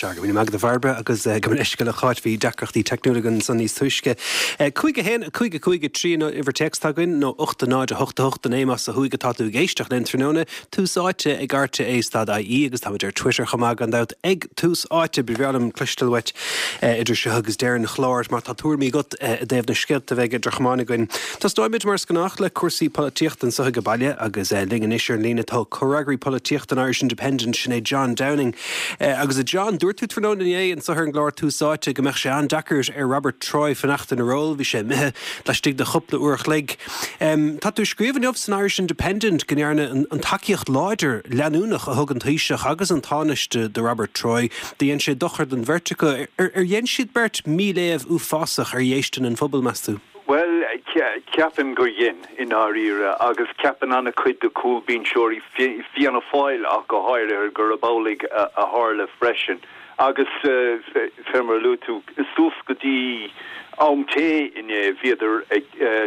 Sea, go raibh míle maith agat a Bhairbre agus gabh mo leithscéal a Cháit, bhí deacrachtaí teicniúla againn ansan níos túisce. 5, 1, 5, 5, 3 an uimhir téacs atá againn, nó 8, 0, 8, 8, 9 más ó thuaidh atá tú ag éisteacht linn tráthnóna. Tús Áite ag RTÉ stad IE agus táimid ar Twitter chomh maith gan dabht ag Tús Áite. Ba bhreá liom cloisteáil uait idir seo agus deireadh an chláir má tá tuairimí agat i dtaobh na scéalta a bheidh idir chamáin againn. Tosnóimid mar is gnách le cúrsaí polaitíochta anseo ag baile agus linn anois ar an líne tá comhfhreagraí polaitíochta an Irish Independent, sin é John Downing. Agus a John, dúirt tú tráthnóna inné anseo ar an gclár Tús Áite go mbeadh sé an-deacair ar Robert Troy fanacht ina ról. Bhí sé imithe laistigh de chúpla uair a chloig. Tá tú ag scríobh inniu san Irish Independent go ndearna an tacaíocht láidir leanúnach a thug an Taoiseach agus an Tánaiste do Robert Troy, do dhein sé dochar don bheirt acu. Ar dhein siad beirt míléamh uafásach ar dhéistin an phobail, meas tú? Bhuel, ceapaim gur dhein, i ndáiríre, agus ceapann an-chuid de chúlbhinseoirí Fianna Fáil ach go háirithe gurb amhlaidh a tharla freisin. Agus fé mar a luaigh tú, suas go dtí am tae inné bhíodar ag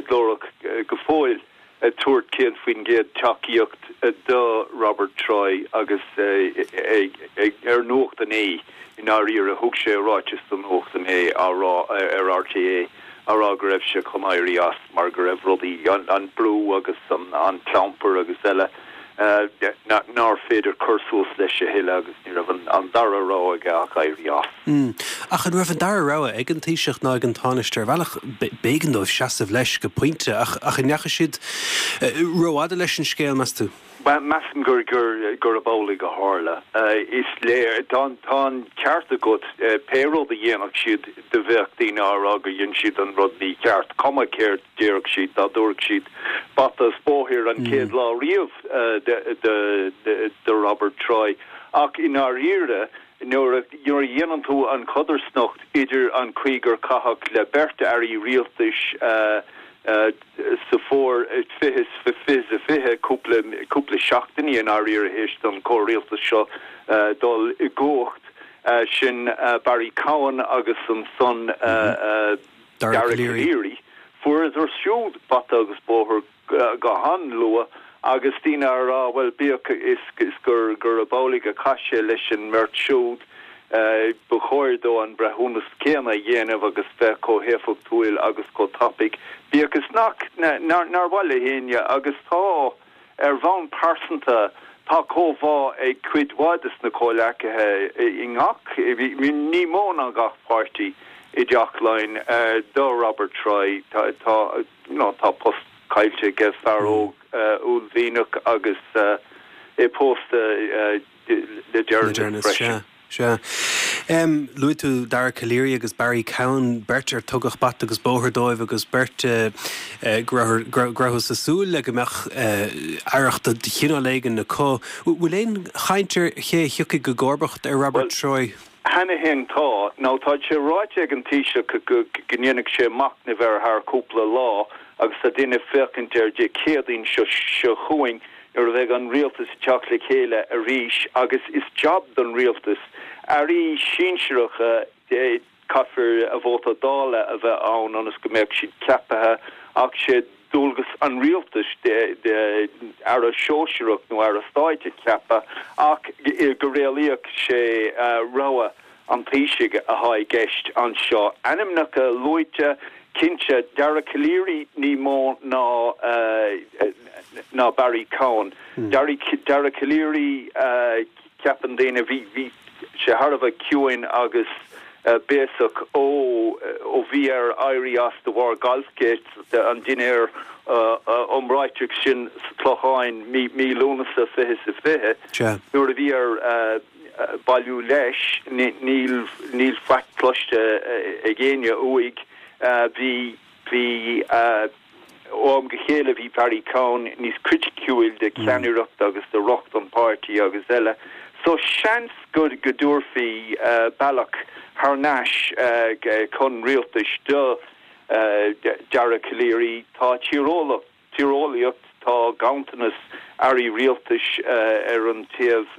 glórach go fóill ag tabhairt 100% tacaíocht do Robert Troy agus ar Nuacht inné i ndáiríre thug sé ráiteas do Nuacht inné á rá ar RTÉ á rá go raibh sé chun éirí as mar go raibh rudaí, an brú agus an clampar agus eile nár féidir cur suas leis a thuilleadh agus ní raibh an dara rogha aige ach éirí as. Ach an raibh an dara rogha ag an Taoiseach ná ag an Tánaiste? Ar bhealach, b'éigean dóibh seasamh leis go pointe, ach an ndeachaigh siad rófhada leis an scéal, meas tú? Bhuel, measaim gur gurb amhlaidh a tharla. Is léir, tá an ceart agat, pé rud a dhéanfadh siad do bheadh daoine á rá gur dhein siad an rud mícheart, cuma céard déarfadh siad, dá dtabharfadh siad bata is bóthar an chéad lá riamh do Robert Troy. Ach i ndáiríre, nuair a dhéanann tú an chodarsnacht idir an chaoi gur caitheadh le beirt airí rialtais sa bhfómhar 2020, cúpla, cúpla seachtainí i ndáiríre théis don chomhrialtas seo dul i gcumhacht, sin Barry Cowen agus ansan Dara Calleary, fuaireadar siúd bata agus bóthar go han-luath agus daoine á rá, bhuel, bíodh is gur gurb amhlaidh a chaith sé leis an mbeirt siúd, ba chóir dó an breithiúnas céanna a dhéanamh agus bheith chomh héifeachtúil agus chomh tapaidh, bíodh is nach, nár mhaith le héinne agus tá, ar bhonn pearsanta, tá comhbhá ag cuid mhaith de na comhleacaithe i ngach, ní mó ná gach páirtí i dTeach Laighean do Robert Troy. Tá, tá. you know tá post caillte aige, fear óg uaillmhianach agus é pósta le deireanas freisin. Sea, sea. Luaigh tú Dara Calleary agus Barry Cowen, beirt ar tugadh bata agus bóthar dóibh agus beirt go rabhthas ag súil le go mbeadh aireacht de chineál éigin acu. Bhfuil aon chaint ar ché a thiocfaidh i gcomharbacht ar Robert Troy? Cheana féin tá. Now tá sé ráite ag an Taoiseach go ndéanfaidh sé machnamh air thar cúpla lá agus tá daoine ag féachaint ar Dé Céadaoin seo seo chugainn nuair a bheidh an rialtas ag teacht le chéile arís agus is jab don rialtas airí sinsearacha caithfear a vóta Dála a bheith ann ionas go mbeadh siad ceaptha ach sé dualgas an rialtais aire sóisearach nó aire stáit a cheapadh ach go réalaíoch sé rogha an Taoisigh atá i gceist anseo. Ainmneacha luaite, cinnte, Dara Calleary ní mó ná ná Barry Cowen. Dara Calleary, Ceapann daoine, bhí sé thar a bheith ciúin agus béasach ó ó bhí air éirí as de bharr Golfgate, an dinnéar iomráiteach sin sa Clochán mí Lúnasa 2020, nuair a bhí air bailiú leis. Níl níl faic cloiste ag éinne uaidh. Bhí bhí. Ó am go chéile bhí Barry Cowen níos criticiúil de cheannaireacht agus de riocht an pháirtí agus eile so seans go go dtabharfaí bealach thar n-ais chun rialtais do Dara Calleary. Tá tíreolaíocht, tá ganntanas airí rialtais ar an taobh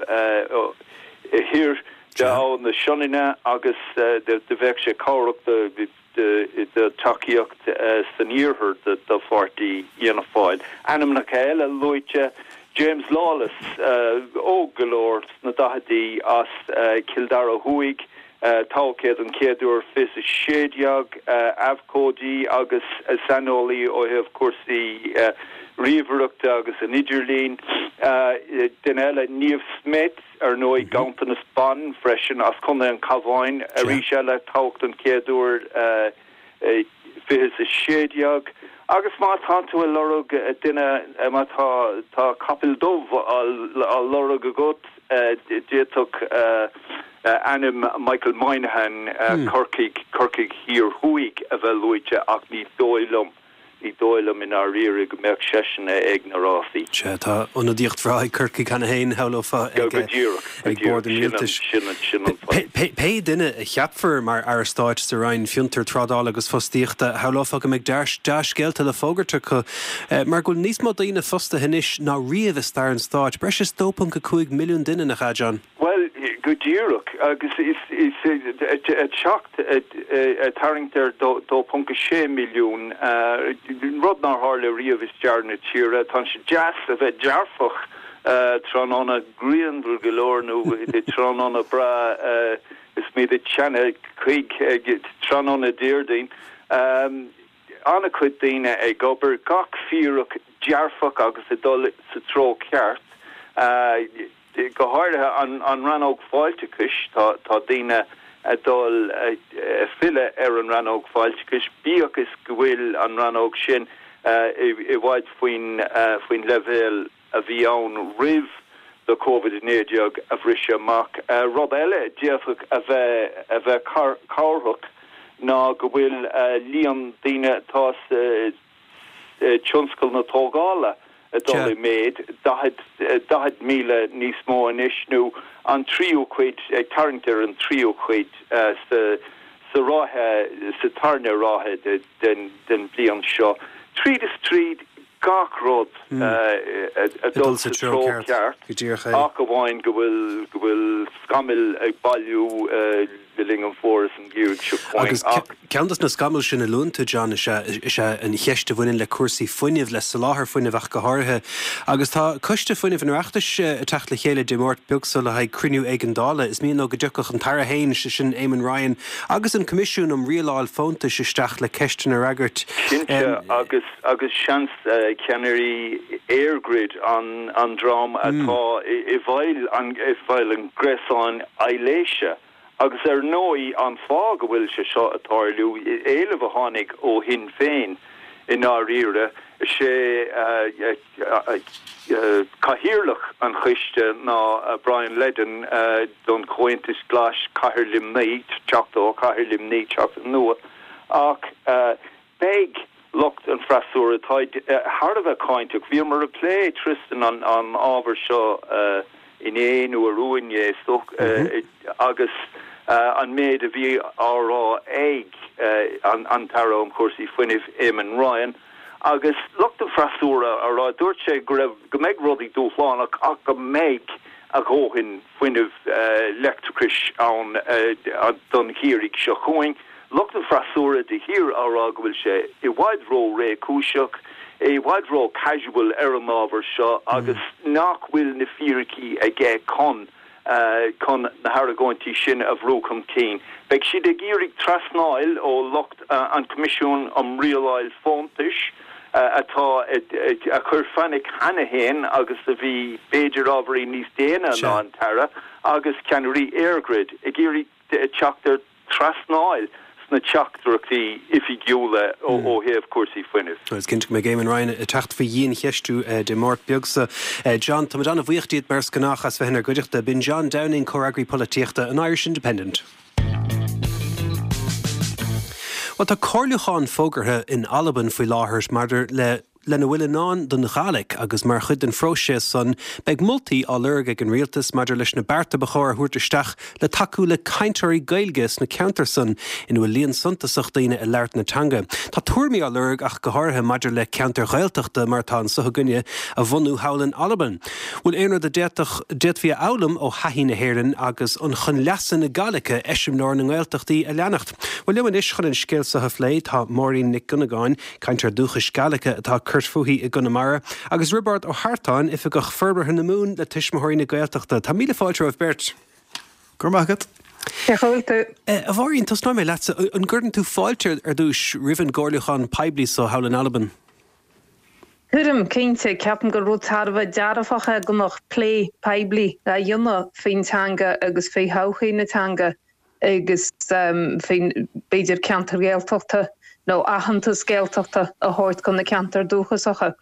thiar de Abhainn na Sionainne agus do bheadh sé cabhrach do do tacaíocht san iarthar do pháirtí Fhianna Fáil. Ainmneacha eile luaite, James Lawless, óg go leor, sna daichidí, as Cill Dara Thuaidh, toghadh é don chéad uair 2016, abhcóide agus saineolaí ó thaobh cúrsaí ríomhaireachta agus an idirlín. Duine eile, Niamh Smyth, ar ndóigh, ganntanas ban freisin, as Contae an Chabháin, arís eile, toghadh don chéad uair 2016. Agus má tá tú ag lorg duine, má tá tá capall dubh á lorg agat, d'fhéadfadh ainm Michael Moynihan, Corcaigh, Corcaigh Thiar Thuaidh, a bheith luaite ach ní dóigh liom. Ní dóigh liom i ndáiríre go mbeadh seisean ag na rásaí. Sea, tá ionadaíocht bhreá ag Corcaigh cheana féin, shamhlófá, ag bord an rialtais. Pé duine a cheapfar mar Aire Stáit sa Roinn Fiontar, Trádála agus Fostaíochta, shamhlófá go mbeidh dea-scéalta le fógairt acu, mar go bhfuil níos mó daoine fostaithe anois ná riamh i stair an stáit, breis is 2.5 milliún duine, nach ea, John? Bhuel, go díreach, agus is ag teacht, ag tarraingt ar 2.6 milliún, rud nár tharla riamh i stair na tíre. Tá sé deas a bheith dearfach tráthnóna grianmhar go leor nó tráthnóna breá is muid ag teannadh chuig tráthnóna Déardaoin. An-chuid daoine ag obair, gach fíric dearfach agus ag dul sa treo ceart. Go háirithe an rannóg fáilteachais, tá daoine ag dul ag filleadh ar an rannóg fáilteachais, bíodh is go bhfuil an rannóg sin i bhfad faoin leibhéal a bhí ann roimh do Covid-19 a bhriseadh amach. Rud eile a d'fhéadfadh a bheith a bheith cabhrach ná go bhfuil líon daoine atá sa tionscal na tógála ag dul i méid, 40,000 níos mó anois, nó an tríú cuid, ag tarraingt ar an tríú cuid sa ráithe, sa tarna ráithe den bhliain seo. Tríd is tríd, gach rud ag dul sa treo ceart, ach amháin go bhfuil, go bhfuil scamaill ag bailiú le linn an fhómhair is an gheimhridh seo chugainn. Ach. Ceann de na scamaill sin a luann tú, John, is ea is ea an cheist a bhaineann le cúrsaí fuinnimh, le soláthar fuinnimh ach go háirithe. Agus tá Coiste Fuinnimh an Oireachtais ag teacht le chéile Dé Máirt beag so le haghaidh cruinniú éigeandála. Is mian leo go dtiocfadh an tAire féin, sé sin Eamon Ryan, agus an Coimisiún um Rialáil Fóntais isteach le ceisteanna a fhreagairt. Cinnte, agus agus seans ceannairí EirGrid, an an dream atá i bhfeighil an i bhfeighil an ghréasáin aibhléise. Agus ar ndóigh, an fáth go bhfuil sé seo ag tarlú, éileamh a tháinig ó Shinn Féin i ndáiríre, is é cathaoirleach an choiste ná Brian Leddin don Chomhaontas Glas, Cathair Luimnigh, Teachta ó Chathair Luimnigh, Teachta nua, ach Beidh lucht an freasúra, táid thar a bheith cáinteach. Bhíomar ag plé, Tristan, an ábhar seo inné nó arú inné, is dócha, agus an méid a bhí á rá ag an tAire um Chúrsaí Fuinnimh, Eamon Ryan, agus lucht an freasúra á rá, dúirt sé go raibh, go mbeidh rudaí dúshlánach ach go mbeidh a dhóthain fuinnimh leictreachais ann don gheimhreadh seo chugainn. Lucht an freasúra de shíor á rá go bhfuil sé i bhfad ró-réchúiseach, i bhfad ró-casual ar an ábhar seo agus nach bhfuil na fíricí aige chun chun na hargóintí sin a bhrú chun cinn. Beidh siad ag iarraidh trasnáil ó lucht an Choimisiúin um Rialáil Fóntais atá a chuir fainic cheana féin agus a bhí b'fhéidir ábhairín níos déine ná an tAire agus ceannairí EirGrid ag iarraidh teacht ar trasnáil sna teachtaireachtaí oifigiúla ó thaobh cúrsaí fuinnimh. Is cinnte go mbeidh Eamon Ryan ag teacht faoi dhiancheistiú Dé Máirt beag so. John, táimid an-bhuíoch díot mar is gnách as bheith inár gcuideachta. B'in John Downing, Comhfhreagraí Polaitíochta an Irish Independent. Bhuel, tá comhairliúchán fógartha in Albain faoi láthair maidir le lena bhfuil i ndán don Ghàidhlig agus mar chuid den phróiseas san beidh moltaí á lorg ag an rialtas maidir leis na bearta ba chóir a thabhairt isteach le tacú le cainteoirí Gaeilge sna ceantair san ina bhfuil líon suntasach daoine ag labhairt na teanga. Tá tuairimí á lorg ach go háirithe maidir le ceantair Ghaeltachta mar atá anso againne a bhunú thall in Albain. Bhfuil aon rud a d'fhéadfadh d'fhéadfaí a fhoghlaim ó thaithí na hÉireann agus an chun leasa na Gàidhlige eiseamláir na nGaeltachtaí a leanacht? Bhuel liom anois chun an scéal so a phlé tá Máirín Nic Dhonnagáin, Cainteoir dúchais Gàidhlige atá curtha. cur fúithi i gConamara, agus Roibeárd Ó hEartáin, Oifigeach Forbartha na Mumhan le Tuismitheoirí na Gaeltachta. Tá míle fáilte romhaibh beirt. Go raibh maith agat. Cén chaoi a bhfuil tú? A Mháirín, tosnóidh mé leatsa. An gcuireann tú fáilte ar dtúis roimh an gcomhairliúchán poiblí so thall in Albain? Cuirim, cinnte. Ceapaim gur rud thar a bheith dearfach é go mbeadh plé poiblí á dhéanamh faoin teanga agus faoi thodhchaí na teanga agus faoin, b'fhéidir, ceantair Ghaeltachta nó aitheantas Gaeltachta a thabhairt do na ceantair dúchasacha.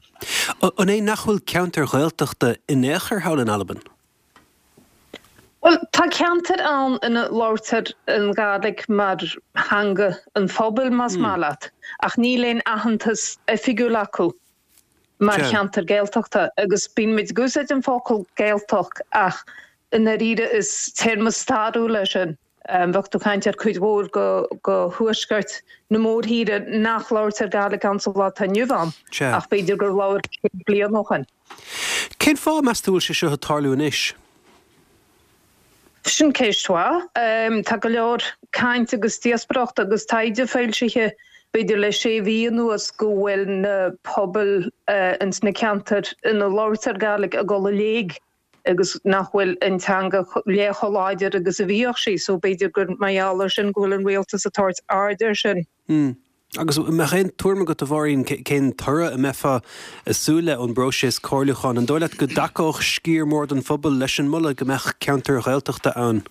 An é nach bhfuil ceantair Ghaeltachta in aon chor thall in Albain? Bhuel, tá ceantair ann ina labhartar an Ghàidhlig mar theanga an phobail, más maith leat, ach níl aon aitheantas oifigiúil acu mar cheantar Gaeltachta. Agus bíonn muid ag úsáid an focal Gaeltacht ach i ndáiríre is téarma stairiúil é sin. Bheadh tú ag caint ar cuid mhór de thuaisceart na mórthíre nach labhartar Gàidhlig ann sa lá atá inniu ann, ach b'fhéidir gur labhair 100 bliain ó shin. Cén fáth, meas tú, a bhfuil sé seo ag tarlú anois? Sin ceist mhaith. Tá go leor caint agus díospóireacht agus taighde foilsithe, b'fhéidir le sé mhí anuas, go bhfuil na pobail ins na ceantair ina labhartar Gàidhlig ag dul i léig agus nach bhfuil an teanga leath chomh láidir agus a bhíodh sí, so b'fhéidir gur mar gheall ar sin go bhfuil an rialtas ag tabhairt aird air sin. Mm. Agus an mbeadh aon tuairim agat, a Mháirín, cén toradh a mbeifeá ag súil le ón bpróiseas comhairliúcháin? An dóigh leat go dtacódh sciar mór den phobal leis an moladh go mbeadh ceantair Ghaeltachta ann?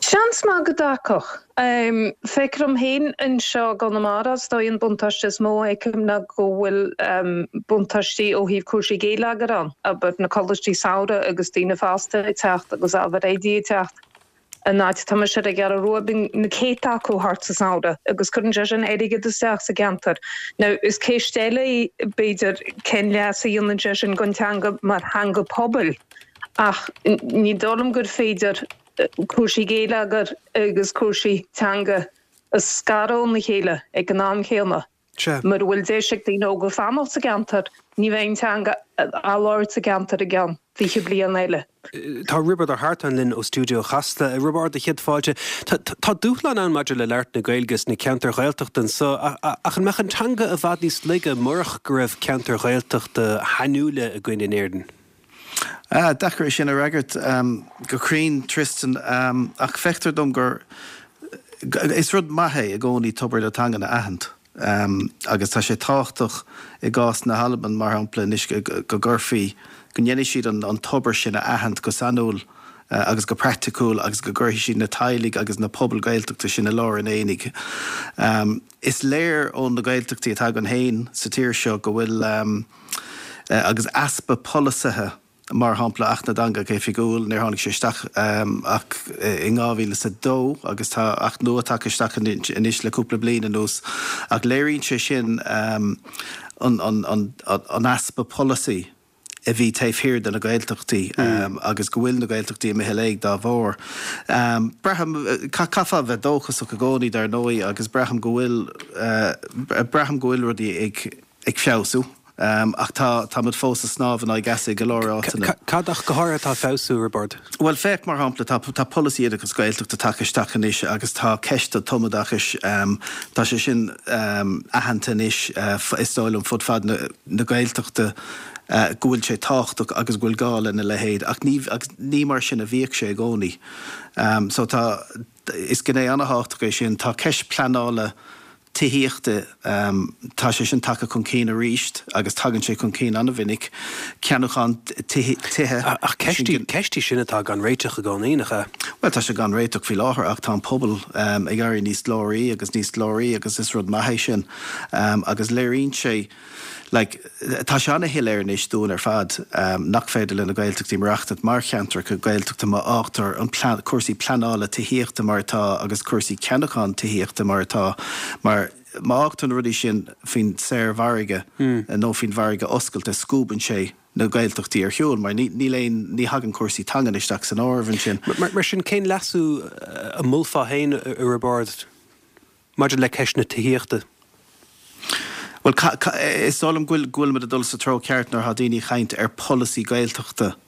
Seans maith go dtacódh. Feictear dom féin anseo i gConamara, is dóigh an buntáiste is mó a fheicim ná go bhfuil buntáistí ó thaobh cúrsaí geilleagair ann, abair na coláistí samhraidh agus daoine fásta ag teacht agus ábhar oidí ag teacht. An áit atá mise ar an gCeathrú Rua, bíonn na céadta acu thart sa samhradh agus cuireann sé sin airgead isteach sa gceantar. Now is ceist eile í b'fhéidir cén leas a dhéanann sé sin don teanga mar theanga pobail ach ní dóigh liom gur féidir cúrsaí geilleagair agus cúrsaí teanga a scaradh óna chéile ag an am chéanna. Sea. Mura bhfuil deis ag daoine óga fanacht sa gceantar, ní bheidh an teanga á labhairt sa gceantar i gceann 20 bliain eile. Tá Roibeard Ó hEartáin linn ó stiúideo Chasla. A Roibeaird, céad fáilte. Tá dúshlán ann maidir le labhairt na Gaeilge sna ceantair Ghaeltachta anso, ach an mbeadh an teanga i bhfad níos laige murach go raibh ceantair Ghaeltachta shainiúla againn in Éirinn? Deacair é sin a fhreagairt go cruinn, Tristan, ach feictear dom gur, is rud maith é i gcónaí tobar na teangan a aithint agus tá sé tábhachtach i gcás na hAlban, mar shampla, anois go gcuirfí, go ndéanfaidh siad an tobar sin a aithint go sainiúil agus go praiticiúil agus go gcuirfidh siad na teaghlaigh agus na pobail Gaeltachta sin i lár an aonaigh. Is léir ó na Gaeltachtaí atá againn féin sa tír seo go bhfuil, agus easpa polasaithe, mar shampla Acht na dTeangacha Oifigiúil, níor tháinig sé isteach ach in 2002 agus tá Acht nua tagtha isteach anois le cúpla bliain anuas ach léiríonn sé sin an easpa polasaí a bhí taobh thiar de na Gaeltachtaí agus go bhfuil na Gaeltachtaí imithe i léig dá bharr. Braithim, caithfeá a bheith dóchasach i gcónaí dar ndóigh agus braithim go bhfuil, braithim go bhfuil rudaí ag. ag feabhsú, ach tá, táimid fós ag snámh in aghaidh easa i go leor áiteanna. Cad ach go háirithe atá ag feabhsú, Roibeard? Bhuel, féach, mar shampla, tá, tá polasaí oideachais Gaeltachta tagtha isteach anois agus tá ceist an tumoideachais, tá sé sin aitheanta anois, is dóigh liom, fud fad na, na Gaeltachta go bhfuil sé tábhachtach agus go bhfuil gá lena leithéid ach ní, agus ní mar sin a bhíodh sé i gcónaí. So tá, is gné an-thábhachtach é sin. Tá ceist pleanála tithíochta, tá sé sin tagtha chun cinn arís agus tagann sé chun cinn an-mhinic, ceannúchán tithe. Ach ceist í, ceist í sin atá gan réiteach i gcónaí, nach ea? Bhuel, tá sé gan réiteach faoi láthair ach tá an pobal ag éirí níos glóraí agus níos glóraí agus is rud maith é sin agus léiríonn sé, like, tá sé an-shoiléir anois dúinn ar fad nach féidir le na Gaeltachtaí maireachtaint mar cheantracha Gaeltachta má fhágtar an plean, cúrsaí pleanála tithíochta mar atá agus cúrsaí ceannacháin tithíochta mar atá mar má fhágtar na rudaí sin faoin saormhargadh nó faoin mhargadh oscailte scuabann sé na Gaeltachtaí ar shiúl mar níl aon, ní thagann cúrsaí teangan isteach san áireamh ansin. Mar sin, cén leasú a mholfá féin, a Roibeaird? Maidir le ceist na tithíochta. Bhuel, is dóigh liom go bhfuil, go bhfuilimid ag dul sa treo ceart nuair atá daoine ag caint ar pholasaí Gaeltachta.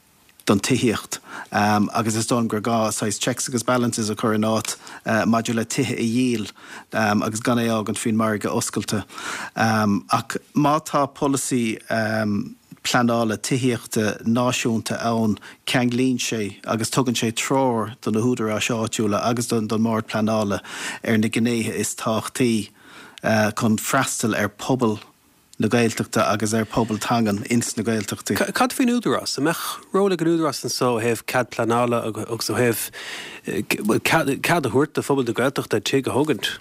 don tithíocht agus is dóigh liom gur gá saghas checks agus balances a chur in áit maidir le tithe a dhíol agus gan é a fhágaint faoin margadh oscailte. Ach má tá polasaí pleanála tithíochta náisiúnta ann ceanglaíonn sé agus tugann sé treoir do na húdaráis áitiúla agus don mBord Pleanála ar na gnéithe is tábhachtaí chun freastal ar phobal na Gaeltachta agus ar phobal teangan ins na Gaeltachtaí. Cad faoin Údarás? An mbeadh ról ag an Údarás anso ó thaobh cead pleanála agus ó thaobh, bhuel, cead a thabhairt do phobal na Gaeltachta tigh a thógaint?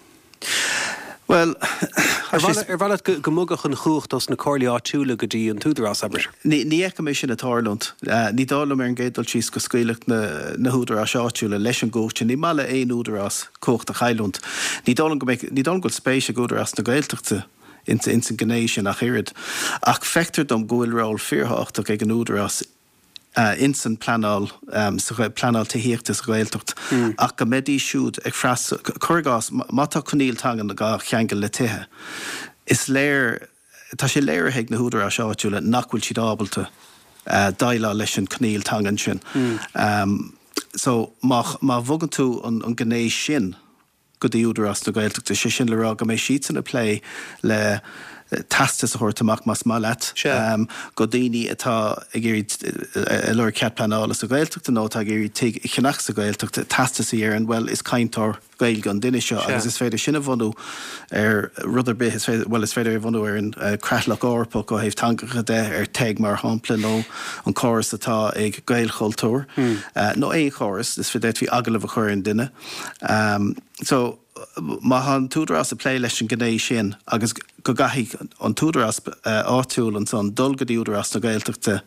Bhuel, tá sé. Ar mhaith leat go mbogfadh an chumhacht ós na comhairlí áitiúla go dtí an tÚdarás, abair? Ní fheicim é sin ag tarlúint. Ní dóigh liom ar an gcéad dul síos go scaoilfeadh na húdaráis áitiúla leis an gcumhacht sin. Ní maith le aon údarás cumhacht a chailliúint. Ní dóigh liom go mbeidh, ní dóigh liom go bhfuil spéis ag Údarás na Gaeltachta ins an ghné sin ach oiread. Ach feictear dom go bhfuil ról fíorthábhachtach ag an Údarás ins an pleanáil, sa pleanáil tithíochta sa Ghaeltacht ach go mbeidís siúd ag freastal, cuir i gcás, má tá coinníoll teangan á cheangal le tithe, is léir, tá sé léirithe ag na húdaráis áitiúla nach bhfuil siad ábalta déileáil leis an coinníoll teangan sin. So má bhogann tú an gné sin, go dtí Údarás na Gaeltachta, sé sin le rá go mbeidh siadsan ag plé le teastas a thabhairt amach, más maith leat, go daoine atá ag iarraidh, ag lorg cead pleanála sa Ghaeltacht nó atá ag iarraidh tigh a cheannach sa Ghaeltacht, teastas a deireann, bhuel, is cainteoir Gaeilge an duine seo agus is féidir sin a bhunú ar rud ar bith, is féidir, bhuel, is féidir é a bhunú ar an Creatlach Eorpach ó thaobh teangacha de, ar TEG mar shampla, nó an córas atá ag Gaelchultúr, nó aon chóras, is féidir, d'fhéadfaí agallamh a chur ar an duine. So, má tá an t-údarás ag plé leis an ghné sin agus go gcaithfidh an t-údarás áitiúil ansan dul go dtí Údarás na Gaeltachta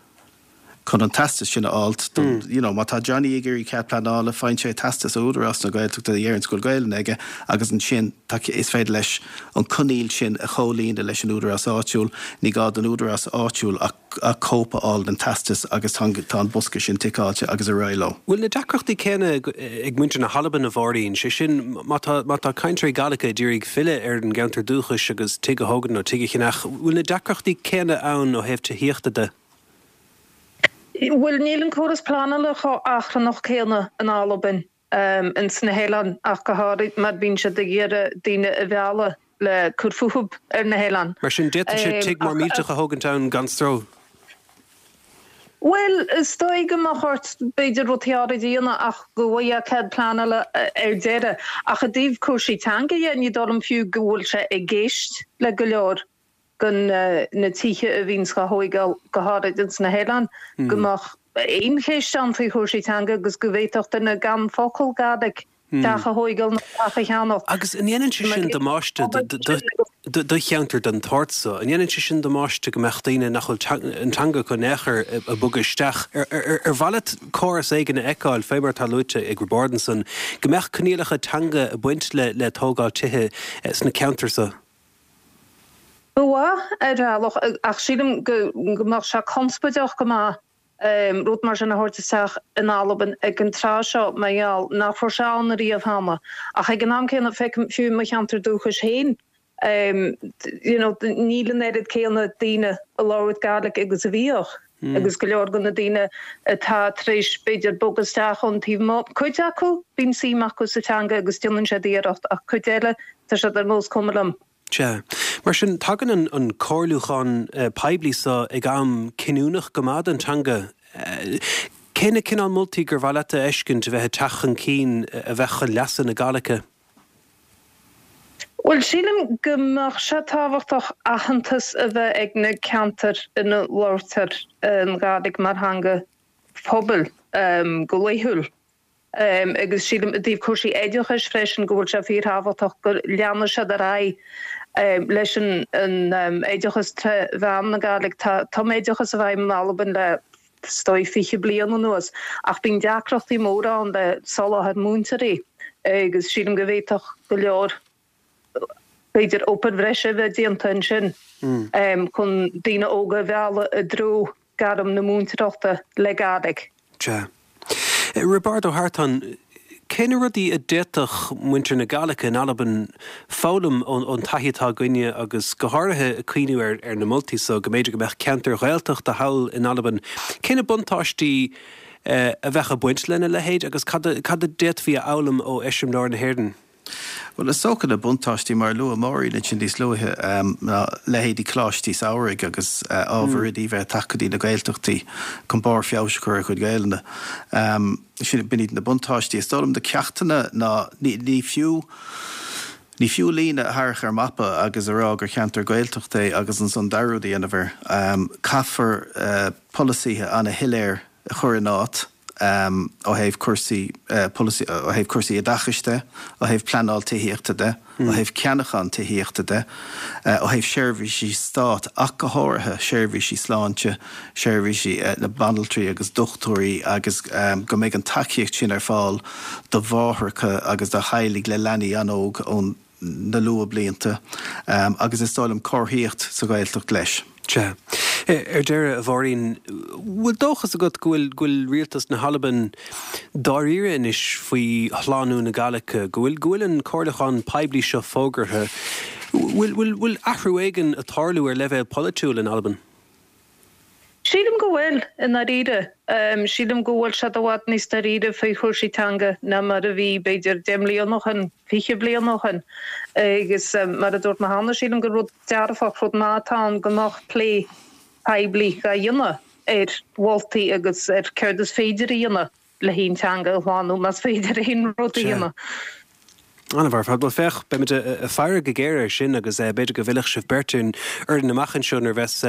chun an teastas sin a fháilt, don, you know, má tá Johnny ag iarraidh cead pleanála, faigheann sé teastas ó Údarás na Gaeltachta a dheireanns go bhfuil Gaelainn aige agus ansin tá, is féidir leis an coinníoll sin a chomhlíonadh leis an údarás áitiúil. Ní gá don údarás áitiúil ach. cóip a fháil den teastas agus tá an bosca sin ticeáilte agus ar aghaidh leo. Bhfuil na deacrachtaí céanna ag muintir na hAlban, a Mháirín? Sé sin, má tá, má tá cainteoirí Gàidhlige ag iarraidh filleadh ar an gceantar dúchais agus tigh a thógaint nó tigh a cheannach, bhfuil na deacrachtaí céanna ann ó thaobh tithíochta de? Bhuel, níl an córas pleanála chomh achrannach céanna in Albain. ins na hoileáin ach go háirid mar bíonn siad ag iarraidh daoine a mhealladh le cur fúthub ar na hoileáin. Mar sin, d'fhéadfadh sé tigh mór millteach a thógaint ann gan stró? Bhuel, is dóigh go mbeadh ort b'fhéidir rudaí áirid a dhéanamh ach go bhfaighfeá cead pleanála ar deireadh. Ach i dtaobh cúrsaí teanga dhe, ní dóigh liom fiú go bhfuil sé i gceist le go leor de na tithe a bhíonns á thóigeáil, go háirid ins na hoileáin, go mbeadh aon cheist ann faoi chúrsaí teanga agus go bhféadfadh duine gan focal Gàidhlig teach a thóigeáil nó teach a cheannach. Agus an ndéanann sé sin damáiste do cheantar den tsórt so? An ndéanann sé sin damáiste go mbeadh daoine nach bhfuil an teanga acu in aon chor ag bogadh isteach? Ar mhaith leat córas éigin a fheiceáil, fé mar atá luaite ag Roibeárd ansan, go mbeadh coinníollacha teanga ag baint le tógáil tithe sna ceantair so? Ba mhaith, ar bhealach, ach sílim go mbeadh sé conspóideach go maith rud mar sin a thabhairt isteach in Albain ag an tráth seo mar gheall nach raibh sé ann ariamh cheana. Ach ag an am céanna, feicim fiú i mo cheantar dúchais féin, you know, níl an oiread céanna daoine ag labhairt Gàidhlig agus a bhíodh agus go leor de na daoine atá tar éis b'fhéidir bogadh isteach ón taobh amuigh, cuid acu bíonn suim acu sa teanga agus déanann siad iarracht ach cuid eile Tá siad ar nós cuma liom. Sea. Mar sin, tagann an comhairliúchán poiblí so ag am cinniúnach go maith don teanga. Cé na cineál moltaí gur mhaith leat a fheiscint a bheith ag teacht chun cinn a bheadh chun leasa na Gàidhlige? Bhuel, sílim go mbeadh sé tábhachtach aitheantas a bheith ag na ceantair ina labhartar an Ghàidhlig mar theanga phobail go laethúil. Agus sílim i dtaobh cúrsaí oideachais freisin go bhfuil sé fíorthábhachtach go leanfaidh siad ar aghaidh leis an oideachas tré mheán na Gàidhlig. Tá tumoideachas i bhfeidhm in Albain le is dóigh 20 bliain anuas ach bíonn deacrachtaí móra ann le soláthar múinteoirí agus sílim go bhféadfadh go leor b'fhéidir obair bhreise a bheith déanta ansin chun daoine óga a mhealladh i dtreo gairm na múinteoireachta le Gàidhlig. Sea. Roibeárd Ó hEartáin, cé na rudaí a d'fhéadfadh muintir na Gàidhlige in Albain foghlaim ón taithí atá againne agus go háirithe ag cuimhniú ar na moltaí so go mb'fhéidir go mbeadh ceantair Ghaeltachta thall in Albain. Cé na buntáistí? a bheadh ag baint lena leithéid agus cad a d'fhéadfaí a fhoghlaim ó eiseamláir na hÉireann? Bhuel, is dócha na buntáistí, mar a luaigh Máirín ansin níos luaithe, ná leithéidí coláistí samhraidh agus ábhar oidí bheith ag teacht go dtí na Gaeltachtaí chun barr feabhais a chur ar a gcuid Gaelainne. Sin, b'in iad na buntáistí. Is dóigh liom na ceachtanna ná ní fiú, ní fiú líne a tharrac ar mapa agus a rá gur cheantar Gaeltachta é agus ansan dearúd a dhéanamh air. Caithfear polasaithe ana-shoiléir a chur in áit ó thaobh cúrsaí polasaí, ó thaobh cúrsaí oideachais de, ó thaobh pleanáil tithíochta de, ó thaobh ceannachán tithíochta de, ó thaobh seirbhísí stáit ach go háirithe seirbhísí sláinte, seirbhísí na banaltraí agus dochtúirí agus go mbeidh an tacaíocht sin ar fáil do mháithreacha agus do theaghlaigh le leanaí an-óg ón na luathbhlianta agus is dóigh liom comharthaíocht sa Ghaeltacht leis. Sea. Ar deireadh, a Mháirín, bhfuil dóchas agat go bhfuil, go bhfuil rialtas na hAlban dáiríre anois faoi shlánú na Gàidhlige, go bhfuil, go bhfuil an comhairliúchán poiblí seo fógartha, bhfuil, bhfuil, bhfuil athrú éigin ag tarlú ar leibhéal polaitiúil in Albain? Sílim go bhfuil, i ndáiríre. Sílim go bhfuil siad i bhfad níos dáiríre faoi chúrsaí teanga ná mar a bhí, b'fhéidir, 10 mbliana ó shin, 20 bliain ó shin. Agus mar a dúirt mé cheana, sílim gur rud dearfach, rud maith atá ann go mbeadh plé poiblí á dhéanamh ar mholtaí agus ar céard is féidir a dhéanamh. le haon teanga a shlánú, más féidir aon rud a dhéanamh. An-mhaith ar fad. Bhuel, féach, beimid ag faire go géar air sin agus b'fhéidir go bhfillfidh sibh beirt orainn amach anseo nuair a bheas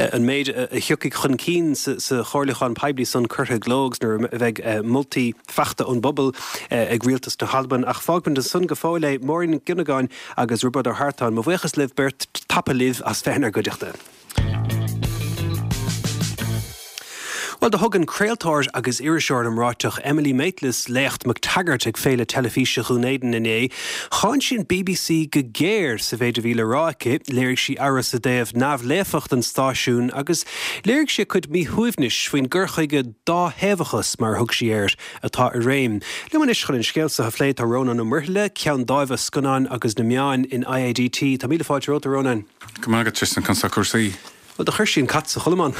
an méid a thiocfaidh chun cinn sa chomhairliúchán poiblí san curtha i gcló agus nuair a bheidh moltaí faighte ón bpobal ag Rialtas na hAlban. Ach fágfaimid ansan go fóill é. Máirín Nic Dhonnagáin agus Roibeárd Ó hEartáin, mo bhuíochas libh beirt, tapa libh as bheith inár gcuideachta. Bhuel, do thug an craoltóir agus iriseoir iomráiteach Emily Maitlis léacht MacTaggart ag Féile Teilifíse Dhún Éideann inné. Cháin sí an bbc go géar sa mhéid a bhí le rá aici, léirigh sí amhras i dtaobh neamhlaofacht an stáisiúin agus léirigh sí a cuid míshuaimhnis faoin gcur chuige dáthaobhachas, mar a thug sí air, atá i réim. Liom anois chun an scéal seo a phlé tá Rónán Ó Muirthile, Ceann Dáimhe Scannáin agus na Meáin in IADT. Tá míle fáilte romhat, a Rónáin. Go maith agat, Tristan, conas tá cúrsaí? Bhuel, do chuir sí an cat sa chodlamán.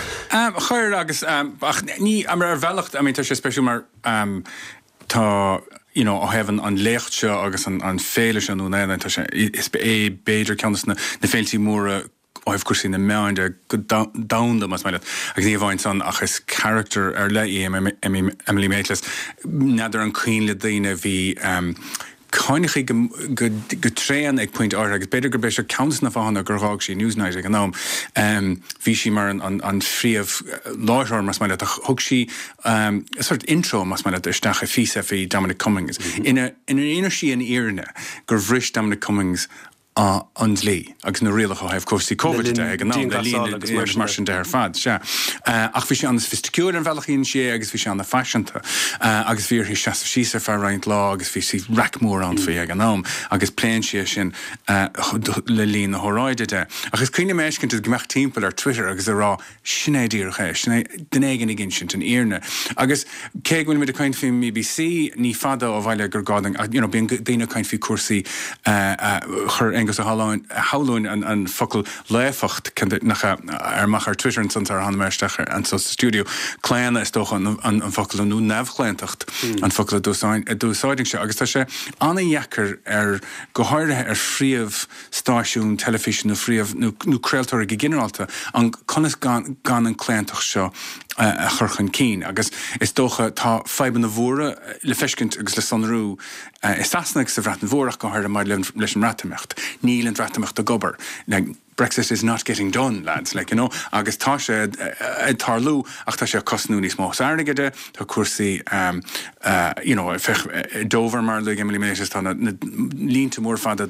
Chuir, agus, ach ní, ar bhealach, I mean, tá sé spéisiúil mar tá, you know, ó thaobh an léacht seo agus an féile seo i nDún Éideann, tá sé, is é b'fhéidir ceann de na féiltí móra ó thaobh cúrsaí na meáin de go domhanda, más maith leat. Agus ní amháin san, ach is character ar leith í Emily Maitlis. N'fheadar an cuimhin le daoine, bhí, Cáineadh í go tréan ag pointe áirithe agus b'fhéidir gurb é seo ceann de na fáthanna gur dh'fhág sí Newsnight ag an am. Bhí sí mar an phríomh-láithreoir, más maith leat, ach thug sí sort intro, más maith leat, isteach i phíosa faoi Dominic Cummings ina inis sí an fhírinne gur bhris Dominic Cummings an dlí agus na rialacha ó thaobh cúrsaí Covid de ag an am, le linn agus mar sin de ar fad, sea. Ach bhí sé an-soifisticiúil an bhealach a dhein sí é agus bhí sé an-phaiseanta agus bhí uirthi seasamh síos ar feadh roinnt lá agus bhí sí raic mór ann faoi ag an am agus pléann sí é sin le linn na hóráide de. Ach is cuimhin liom a fheiscint ag imeacht timpeall ar Twitter agus ag rá Sin é díreach é. Sin é duine éigin ag insint an fhírinne. Agus cé go bhfuilimid ag caint faoin mBBC, ní fada ó bhaile gur gá dúinn, you know, bíonn daoine ag caint faoi cúrsaí, chuir Aengus Ó hAlmhain an focal laofacht, nach ea, ar amach ar Twitter ansan sar a tháinig mé isteach anso sa stiúideo. Claonadh is dócha an focal nó neamhchlaontacht an focal a d'úsáidfinnse. Agus tá sé an-dheacair ar, go háirithe ar phríomh, stáisiún teilifíse nó phríomh, nó craoltóirí go ginearálta, an conas gan gan an claontacht seo a chur chun cinn. Agus is dócha tá fadhbanna mhóra le feiscint agus le sonrú i Sasana agus sa Bhreatain Mhór ach go háirithe maidir leis an mBreatimeacht. Níl an Bhreatimeacht ag obair. Like, Brexit is not getting done, lads, like, you know, agus tá sé ag tarlú ach tá sé ag cosnú níos mó airgid, Tá cúrsaí you know féach Dover mar a luaigh Emily Maitlis tá na línte mór fada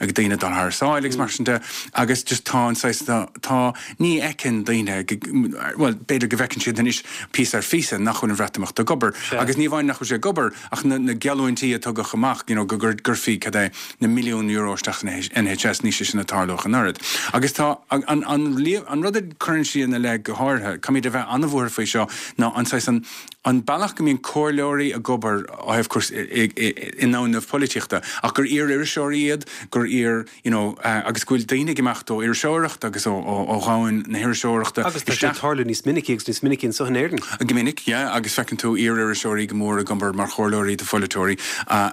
ag daoine dul thar sáile agus mar sin de agus just tá an saghas tá tá ní fheiceann daoine bhuel b'fhéidir go bhfeiceann siad anois píosa ar phíosa nach bhfuil an Bhreatimeacht ag obair agus ní amháin nach bhfuil sé ag obair ach na na geallúintí a tugadh amach you know go gcuirfí cad é na milliúin euro isteach san NHS níl sé sin ag tarlú ach an oiread. Agus tá an an an rud a cuireann sí ina leith go háirithe, caithfimid a bheith an-bhuartha faoi seo, ná an saghas an an bealach go mbíonn comhairleoirí ag obair ó thaobh cúrsaí i ndomhan na polaitíochta ach gur iar-iriseoirí iad, gur iar, you know, agus go bhfuil daoine ag imeacht ó iriseoireacht agus ó dhomhan na hiriseoireachta Agus tá sé ag tarlú níos minicí agus níos minicí anseo in Éirinn. Go minic, yeah, agus feiceann tú iar-iriseoirí go mór ag obair mar chomhairleoirí do pholaiteoirí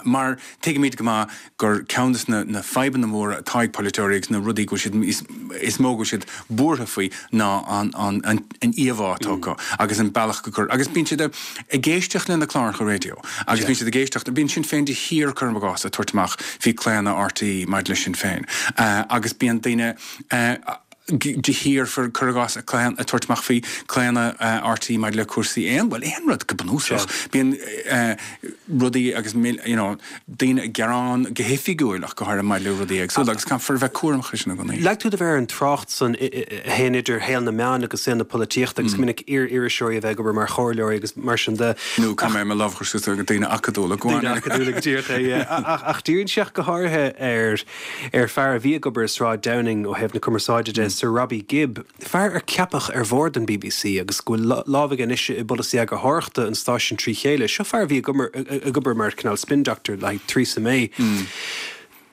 mar tuigimid go maith gur ceann de na fadhbanna móra atá ag polaiteoirí agus na rudaí go bhfuil siad is mó go bhfuil siad buartha faoi ná an an an íomhá atá acu agus an bealach go gcur agus bíonn siad ag éisteacht le na cláracha raidió agus bíonn siad ag éisteacht bíonn Sinn Féin de shíor cuirim i gcás ag tabhairt amach faoi claonadh RTÉ maidir le Sinn Féin agus bíonn daoine de shíor cuir i gcás ag tabhairt amach faoi claonadh RTÉ maidir le cúrsaí aon, bhuel, aon rud go bunúsach. Bíonn rudaí agus you know daoine ag gearán go hoifigiúil ach go háirithe maidir le rudaí éagsúla agus caithfear a bheith cúramach faoi sin i gcónaí. Leag tú do mhéar ar an trácht san a théann idir shaol na meán agus saol na polaitíochta agus go minic iar-iriseoirí a bheith ag obair mar chomhairleoirí agus mar sin de. Nó caithfidh mé mo lámh a chur suas do daoine acadúla, go Daoine acadúla go díreach é, yeah. Ach díríonn sí ach go háirithe ar ar fear a bhí ag obair i Sráid Downing ó thaobh na cumarsáide de, Sir Robbie Gibb, fear ar ceapadh ar bhord an bbc agus go bhfuil lámh aige anois i bpolasaí eagarthóireachta an stáisiúin trí chéile. Seo fear a bhí ag obair mar cineál spin doctor le haghaidh Theresa May.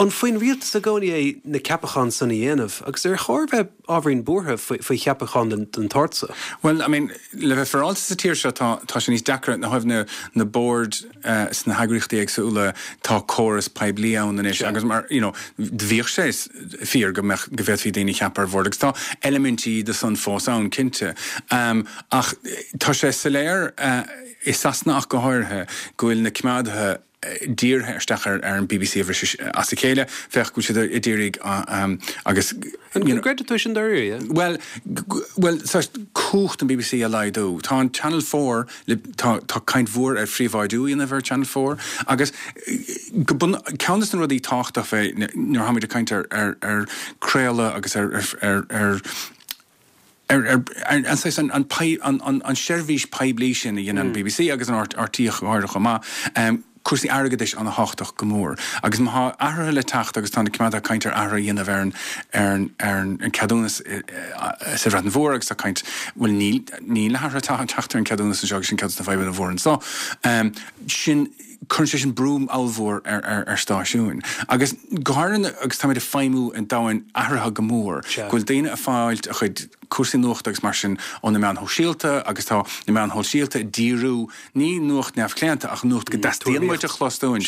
An faoin rialtas i gcónaí é na ceapacháin san a dhéanamh agus ar chóir bheith ábhairín buartha faoi cheapacháin den tsórt so? Bhuel, I mean, le bheith féaráilte sa tír seo tá tá sé níos deacra ó thaobh na na boird sna heagraíochtaí éagsúla tá córas poiblí ann anois agus mar you know bhíodh sé fíor go mbeadh go bhféadfaí daoine a cheapadh ar bhord agus tá eilimintí de san fós ann cinnte. Ach tá sé soiléir i Sasana ach go háirithe go bhfuil na coimeádaithe dírithe isteach ar an bbc a bhriseadh as a chéile. Féach go bhfuil siad a d'iarraidh agus An gcreideann tú sin dáiríre? Bhuel, bhuel, cumhacht an bbc a laghdú. Tá an Channel 4 le, tá, tá caint mhór ar phríobháidiú a dhéanamh ar Channel 4 agus go bun, ceann de na rudaí tábhachtach fé nuair atáimid ag caint ar, ar, ar craoladh agus ar, ar, ar, ar, ar, ar, ar an saghas, an, an, an, an, an seirbhís poiblí sin a dhéanann an bbc agus an RTÉ go háirithe chomh maith, cúrsaí airgeadais an-thábhachtach go mór. Agus má tá athruithe le teacht agus tá na coimeádaithe ag caint ar athruithe a dhéanamh ar an ar an ar an ceadúnas sa Bhreatain Mhór agus tá caint, bhuel níl níl na hathruithe ag teacht ar an ceadúnas anseo agus sin ceann de na fadhbanna mhóra anseo. Sin, cuireann sé sin brú ollmhór ar ar ar stáisiúin. Agus go háirithe agus táimid ag feidhmiú i domhan athraithe go mór, go bhfuil daoine ag fáilt a chuid cúrsaí nuachta agus mar sin ó na meáin shóisialta agus tá na meáin shóisialta ag díriú Ní nuacht neamhchlaonta ach nuacht go dteastaíonn uait a chlos dúinn.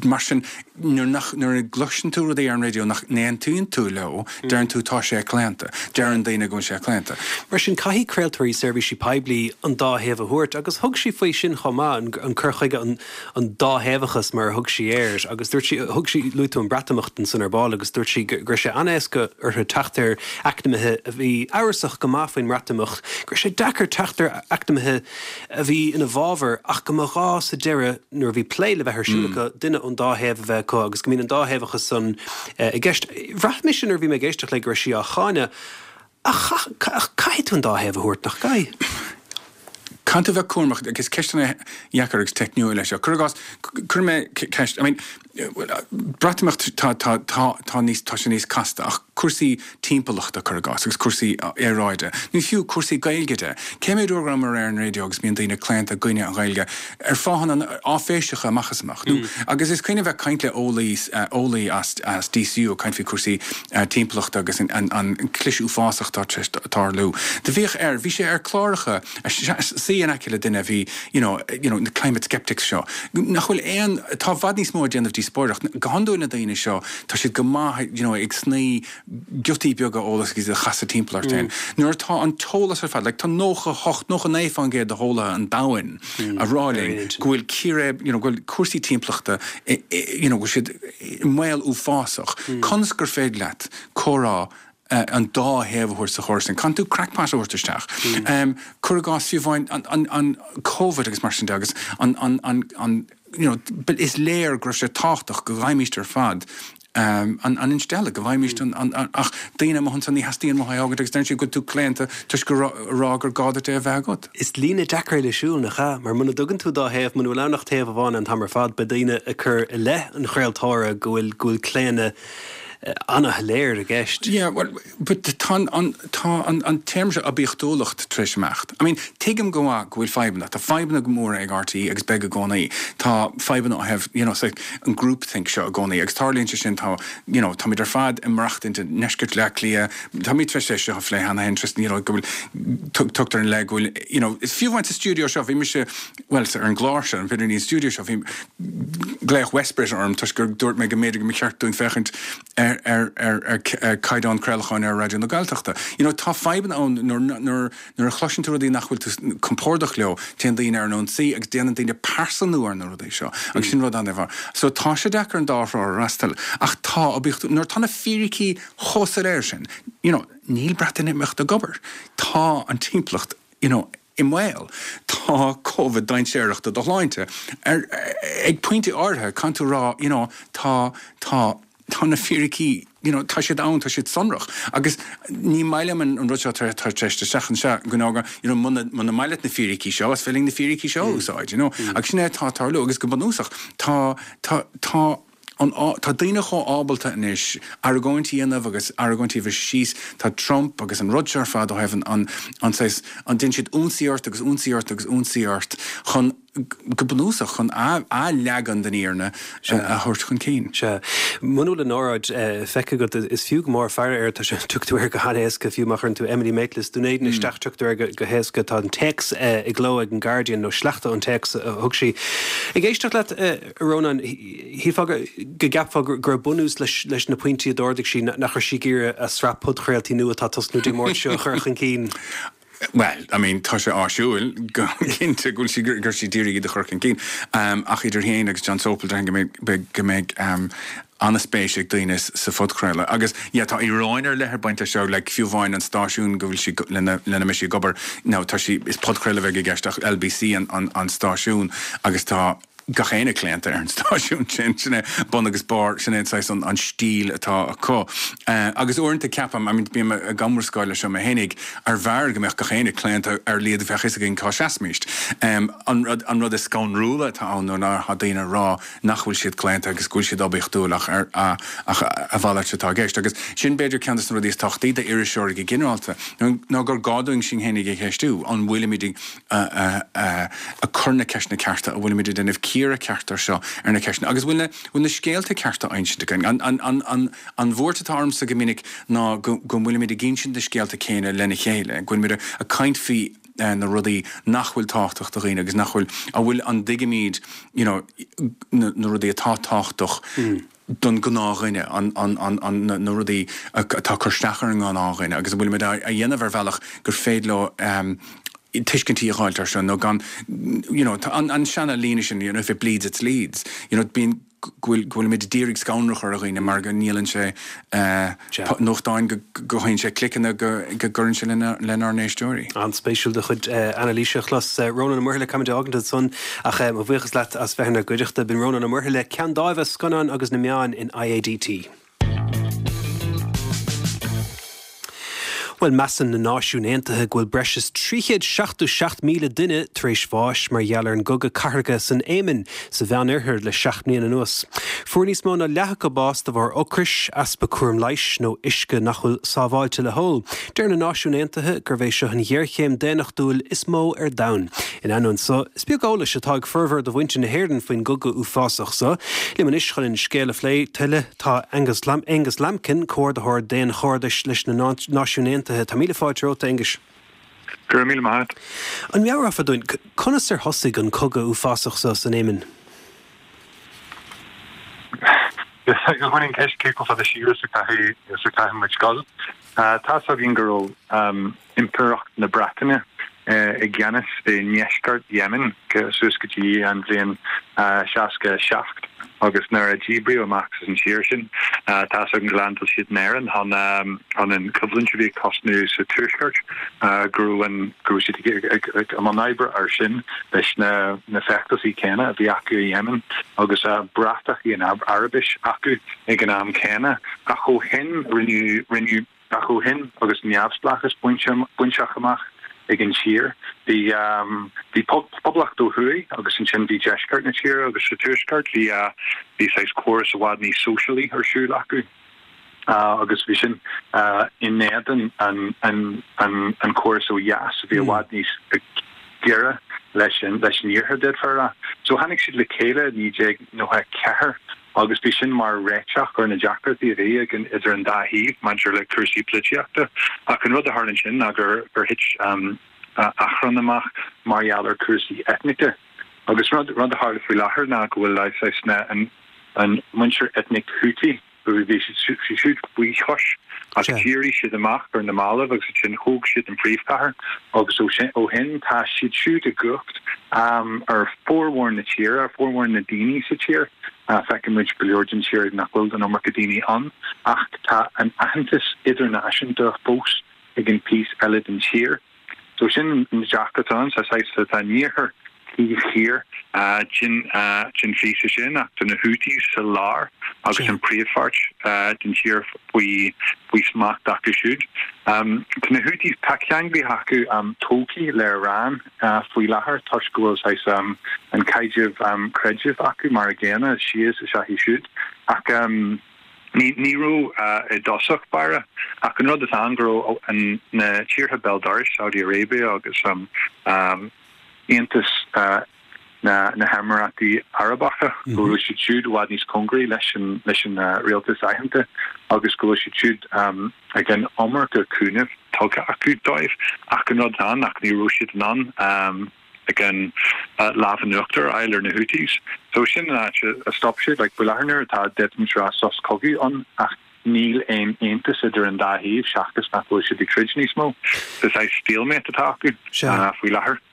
Mar sin, nuair nach, nuair a gcloiseann tú rudaí ar an raidió nach n-aontaíonn tú leo, deireann tú tá sé claonta. Deireann daoine go bhfuil sé claonta. Mar sin, caithfidh craoltóirí seirbhísí poiblí an dá thaobh a thabhairt agus thug sí faoi sin chomh maith, an cur chuige, an an dátheangachas mar a thug sí air agus dúirt sí, thug sí, luaigh tú an Breatimeacht ansan ar ball agus dúirt sí go raibh sé an-éasca orthu teacht ar eacnamaithe a bhí amhrasach go maith faoin mBreatimeacht, go raibh sé deacair teacht ar eacnamaithe a bhí ina bhfabhar ach go mba ghá sa deireadh nuair a bhí plé le bheith ar siúl acu duine ón dá thaobh a bheith acu agus go mbíonn an dátheangachas san i gceist. Bhraith mise nuair a bhí mé ag éisteacht léi go raibh sí á cháineadh Ach caithfidh tú an dá thaobh a thabhairt, nach gcaithfidh? Caithfidh tú bheith cúramach, agus ceisteanna dheacair agus teicniúil é seo. Cuir i gcás, cuirfidh mé ceist, I mean, Breatimeacht, tá, tá, tá, tá níos, tá sé níos casta, ach cúrsaí timpeallachta, cuir i gcás, agus cúrsaí aeráide, nó fiú cúrsaí Gaeilge de. Cé mhéad uair go rabhamar ar an raidió agus bíonn daoine claonta i gcoinne an Ghaeilge ar fáthanna áiféiseacha amach is amach, nó, agus is cuimhin bheith ag caint le eolaí, eolaí as, as DCU ag caint faoi cúrsaí timpeallachta agus an cliseadh uafásach atá tar éis tarlú. Do bhíodh air, bhí sé ar cláracha, suí in aice le duine a bhí, you know, you know, na climate skeptics seo, nach bhfuil aon, tá i bhfad níos mó ag déanamh díospóireacht. Go hiondúil na daoine seo, tá siad go maith, you know, ag snoí giotaí beaga eolais agus iad a chasadh timpeall ort féin. Nuair atá an t-eolas ar fad, like tá 98, 99% de heolaithe an domhain a rá linn go bhfuil círéib, you know, go bhfuil cúrsaí timpeallachta, you know, go bhfuil siad i mbaol uafásach. Conas gur féidir leat comhrá an dá thaobh a thabhairt sa chóras sin? Caithfidh tú crackpot a thabhairt isteach. Cuir i gcás fiú amháin an, an Covid agus mar sin de agus an, an, an, an, you know, is léir go raibh sé tábhachtach go bhfaighimíst ar fad an, an instealladh, go bhfaighimíst an, an, an, ach daoine amuigh ansan ní theastaíonn uathu é a fhágaint agus deireann siad go bhfuil tú claonta toisc go rá, rá gur gá duit é a bheith agat. Is líne deacair le siúl, nach ea? Mar muna dtugann tú dá thaobh, muna bhfuil ann ach taobh amháin an t-am ar fad, beidh daoine ag cur i leith an chraoltóra go bhfuil, go bhfuil claonadh. Ana-shoiléir i gceist. Yeah, well, but tá an, tá an, an téarma seo oibiachtúlacht tar éis imeacht. I mean, tuigim go maith go bhfuil fadhbanna, tá fadhbanna móra ag RTÉ agus beidh i gcónaí. Tá fadhbanna ó thaobh, you know, say, an groupthink seo i gcónaí agus tarlaíonn sé sin, tá, you know, táimid ar fad ag maireachtaint i ndeisceart Bhaile Átha Cliath, táimid tar éis é seo a phlé cheana féin, Tristan, you know, go bhfuil, tugtar ina leith go bhfuil, you know, is fiú amháin sa stiúideo seo, bhí mise, bhuel, ar an gclár seo, b'fhéidir ní an stiúideo seo, bhí, Glaodh Westbrit orm toisc gur dúirt mé go mb'fhéidir go mba cheart dúinn féachaint ar ar ar ar caighdeán craolacháin ar Raidió na Gaeltachta. You know, tá fadhbanna ann nuair nuair nuair a chloiseann tú rudaí nach bhfuil tú compordach leo, téann daoine ar an ionsaí agus déanann daoine pearsanú ar na rudaí seo agus sin rud an-mhaith. So tá sé deacair an dá thrá a fhreastal ach tá oibiachtú nuair atá na fíricí chomh soiléir sin, you know, níl Breatimeacht ag obair. Tá an timpeallacht, you know, i mbaol. Tá Covid dainséarach do do shláinte. Ar, ag pointe áirithe, caithfidh tú a rá, you know, tá, tá, tá na fíricí, you know, tá siad ann, tá siad sonrach. Agus ní maith liom an, an rud seo atá tar éis isteach anseo, go ndóga, you know, muna, muna maith leat na fíricí seo, is féidir linn na fíricí seo a úsáid, you know. Agus sin é atá ag tarlú. Agus go bunúsach, tá, tá, tá, an, tá daoine chomh ábalta anois argóint a dhéanamh agus argóintí a bhriseadh síos, tá Trump agus an rud seo ar fad ó thaobh an, an, an saghas, an, déanann siad ionsaí ort agus ionsaí ort agus ionsaí ort chun, go bunúsach, chun a, a leagan den fhírinne a thabhairt chun cinn. Sea. Muna bhfuil an óráid feicthe agat, is fiú go mór faire air, tá sé, tiocfaidh tú air go han-éasca, fiú má chuireann tú Emily Maitlis, Dún Éideann isteach, tiocfaidh tú air go, go héasca. Tá an téacs i gcló ag an Guardian, nó sleachta ón téacs a thug sí. Ag éisteacht leat, A Rónáin, shílfeá go gceapfá go raibh bunús leis na pointí a d'ardaigh sí, nach raibh sí ag iarraidh a sraith podchraoltaí nua atá ag tosnú Dé Máirt seo a chur chun cinn. Bhuel, I mean, tá sé áisiúil go cinnte go bhfuil sí, go raibh sí d'iarraidh iad a chur chun cinn. Ach idir féin agus John Sopel, déarfainn go mbeidh, go mbeidh an-spéis ag daoine sa phodchraoladh. Agus, yeah, tá íoróin ar leith ag baint leis seo, like, fiú amháin an stáisiún go bhfuil sí, lena, lena mbeidh sí ag obair, now, tá sí, is podchraoladh a bheidh i gceist ach LBC an, an, an stáisiún agus tá gach éinne claonta ar an stáisiún sin, sin é bun agus barr, sin é an saghas, an, an stíl atá acu. Agus uaireanta ceapaim, I mean, bím ag iomrascáil leis seo mé fhéinig, arbh fhearr go mbeadh gach éinne claonta ar a laghad bheadh fhios againn cá seasfaimíst. An rud, an rud is scanrúla atá ann nuair atá daoine ag rá nach bhfuil siad claonta agus go bhfuil siad oibiachtúil ach ar ach a mhalairt atá i gceist. Agus sin b'fhéidir ceann de na rudaí is tábhachtaí d'iriseoirí go ginearálta, ná gur gá dúinn sinn féinig a cheistiú, an bhfuilimid ag cur na ceisteanna cearta, an bhfuilimid ag déanamh cíoradh ceart ar seo, ar na ceisteanna, agus bhfuil na bhfuil na scéalta cearta á insint againn. An an an an an bhuairt atá ormsa go minic ná go go bhfuilimid ag insint na scéalta céanna lena chéile, go bhfuilimid ag caint faoi na rudaí nach bhfuil tábhachtach do dhaoine agus nach bhfuil, an bhfuil, an dtuigimid you know na na rudaí atá tábhachtach don gnáthdhuine, an an an an na na rudaí atá ag cur isteach ar an ngnáthdhuine agus an bhfuilimid á a dhéanamh ar bhealach gur féidir leo tuiscintí a dh'fháilt air seo nó gan you know tá an an seana líne sin you know if it bleeds it's Leeds you know bíonn go bhfuil, go bhfuilimid ag iarraidh scanradh a chur ar dhaoine mar go ndíolann sé nuachtáin, go gcothaíonn sé cliceanna, go gcuireann sé lenár n-éisteoirí. An-spéisiúil do chuid anailíse a chlos. Rónán Ó Muirthile, caithfimid a fhágaint ansan ach mo bhuíochas leat as bheith inár gcuideachta. B'in Rónán Ó Muirthile, Ceann Dáimhe, Scannáin agus na Meáin in IADT. Bhuel, measann na Náisiúin Aontaithe go bhfuil breis is 377,000 duine tar éis bháis mar gheall ar an gcogadh cathartha san Éimin, sa Mheánoirthear le 7 mbliana anuas. Fuair níos mó ná leath acu bás de bharr ocrais, easpa cúram leighis nó uisce nach bhfuil sábháilte le hól. Deir na Náisiúin Aontaithe gurb é seo an ghéarchéim daonnachtúil is mó ar domhan. In ainneoin so, is beag eolais atá ag formhór de mhuintir na hÉireann faoin gcogadh uafásach so. Liom anois chun an scéal a phlé tuilleadh, Tá Angus Angus Lambkin, Comhordaitheoir Daonchairdis leis na Náisiúin Aontaithe. Tá míle fáilte romhat, a Aonghuis. Go raibh míle maith agat. An meabhrófá dúinn, conas ar thosaigh an cogadh uafásach so san Éimin? Is í an cheist cé chomh fada siar is a chaithfidh muid dul. Tá's againn go raibh Impireacht na Breataine i gceannas i ndeisceart Yemen suas go dtí an bhliain 67 agus nuair a díbríodh amach as an tír sin, tá's againn gur leaindeáil siad in Éirinn chun an choimhlint a bhí ag tosnú sa tuaisceart, go raibh an, go raibh siad ag i mbun oibre air sin leis na na feachtasaí céanna a bhí acu i Yemen agus bratachaí in Araibis acu ag an am céanna. Ach ó shin rinneadh, rinneadh. Ach ó shin, agus neamhspleáchas bainte amach ag an tír, bhí bhí poblacht ó thuaidh agus ansin bhí deisceart na tíre agus sa tuaisceart bhí bhí saghas córas i bhfad níos sóisialaí ar siúl acu. Agus bhí sin in éadan an chóras ó dheas a bhí i bhfad níos giorra leis an iarthar, d'fhéadfá a rá. So tháinig siad le chéile i 1994 agus bhí sin mar réiteach ar na deacrachtaí a bhí idir an dá thaobh maidir le cúrsaí polaitíochta. Ach an rud a tharla ansin ná gur thit achrann amach mar gheall ar chúrsaí eitnice. Agus rud a tharla faoi láthair ná go bhfuil saghas an muintir eitnic Houthi, Bhí siad siúd faoi chois ach d'éirigh siad amach ar na mallaibh agus ansin thóg siad an phríomhchathair agus ó shin tá siad siúd i gcumhacht ar formhór na tíre, ar formhór na daoine sa tír. Feiceann muid go leor den tír nach bhfuil an iomarca daoine ann ach tá an aitheantas idirnáisiúnta fós ag an píosa eile den tír. So sin an deacracht ann, sa saghas tá an iarthar taobh thiar den phíosa sin ach tá na Houthis sa lár agus an príomhpháirt den tír faoi faoi smacht acu siúd. Tá na Houthis, tá ceanglais acu tógtha le Iran faoi láthair toisc go bhfuil saghas an caidreamh creidimh acu mar a gcéanna, Shias is ea iad siúd ach Ní raibh i dtosach báire, ach an rud atá ann go raibh na tíortha béal dorais, Saudi Arabia agus Aontas na nÉimiríochtaí Arabacha, go raibh siad siúd i bhfad níos cóngaraí leis an rialtas aitheanta agus go bhfuil siad siúd ag an iomarca cúnaimh tugtha acu dóibh. Ach an rud atá ann ach ní raibh siad in ann ag an lámh in uachtar a fháil ar na Houthis. So sin an áit a stop siad. Like faoi láthair nuair atá d'fhéadfaimis rá sos cogaidh ann ach níl aon aontas idir an dá thaobh seachas nach bhfuil siad ag troid níos mó. So saghas stalemate atá acu faoi láthair.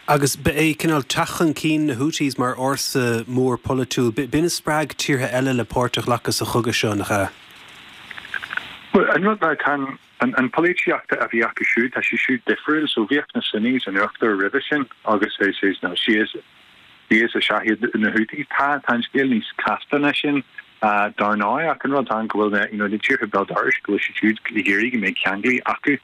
Agus ba é cineál teacht chun cinn na Houthis mar fhórsa mór polaitiúil, b'in a spreag tíortha eile le páirt a ghlacadh sa chogadh seo, nach ea? Bhuel, an rud ná tá an An polaitíocht a bhí acu siúd, tá sí siúd difriúil. So bhíodh na Sunnis in uachtar roimhe sin agus is is na Shias Shias is ea iad na Houthis. Tá tá an scéal níos casta ná sin dar ndóigh ach an rud atá ann go bhfuil na you know na tíortha béal dorais go bhfuil siad siúd ag iarraidh go mbeidh ceanglais acu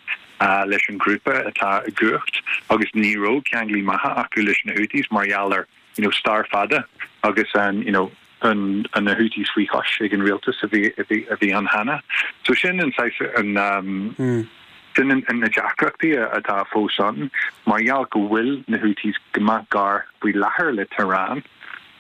leis an ghrúpa atá i gcumhacht agus ní raibh ceanglais maithe acu leis na Houthis mar gheall ar you know, stair fada agus an, you know, an, an na Houthis faoi chois ag an rialtas a bhí, a bhí, a bhí ann cheana. So sin an saghas, an, um, sin an, an, na deacrachtaí atá fós ann mar gheall go bhfuil na Houthis go maith gar faoi láthair le Tehran.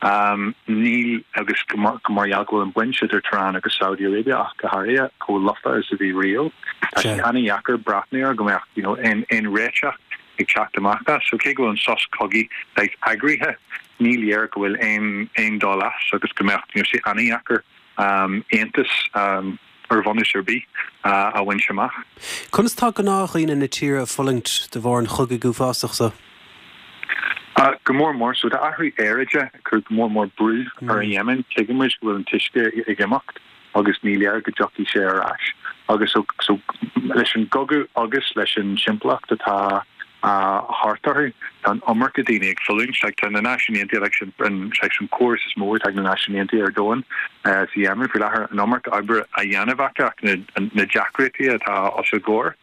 Um, níl agus go mar, go mar gheall go bhfuil an baint idir Tehran agus Saudi Arabia ach go háirithe chomh lofa is a bhí riamh. Tá sé an-dheacair breathnú ar go mbeadh you know, aon, aon réiteach ag teacht amach as. So cé go bhfuil an sos cogaidh saghas eagraithe, ní léir go bhfuil aon aon dul as agus go mbeadh you know sé an-dheacair aontas ar bhunús ar bith a bhaint amach. Conas tá gnáthdhaoine na tíre ag fulaingt de bharr an chogaidh uafásach seo? Go mór mór. So tá athrú aeráide ag cur go mór mór brú ar an Yemen. Tuigeann muid go bhfuil an t-uisce ag imeacht. agus ní léir go dtiocfaidh sé ar ais. Agus so, so, leis an gcogadh agus leis an timpeallacht atá thart orthu, tá an iomarca daoine ag fulaingt. Like, tá na Náisiúin Aontaithe, like, sin, an, like, an córas is mó atá ag na Náisiúin Aontaithe ar domhan sa Yemen faoi láthair, an iomarca oibre á dhéanamh acu ach na, na deacrachtaí atá os a gcomhair,